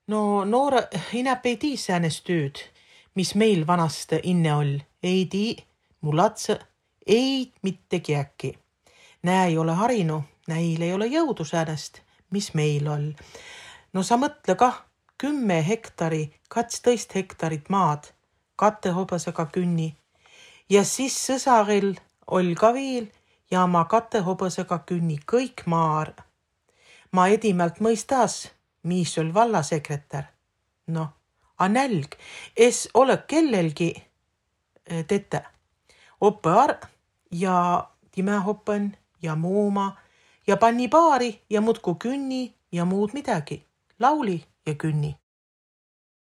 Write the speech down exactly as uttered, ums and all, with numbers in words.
No noore inäp ei tii säänest tüüd, mis meil vanast inne oll. Ei tii, mu latse, ei mitte kiäki. Nää ei ole harinu, näil ei ole jõudu säänest, mis meil oll. No sa mõtle kah, kümme hektari, katstõist hektarit maad, kate hobõsega künni. Ja siis sõsaril oll ka viil ja ma kate hobõsega künni kõik maar. Ma edimalt mõistas, mis oll vallasekretär. Noh, a nälg, es ole kellelgi tete. Oppe ar ja timä hoppen ja muuma ja panni paari ja mutku künni ja muud midagi. Lauli ja künni.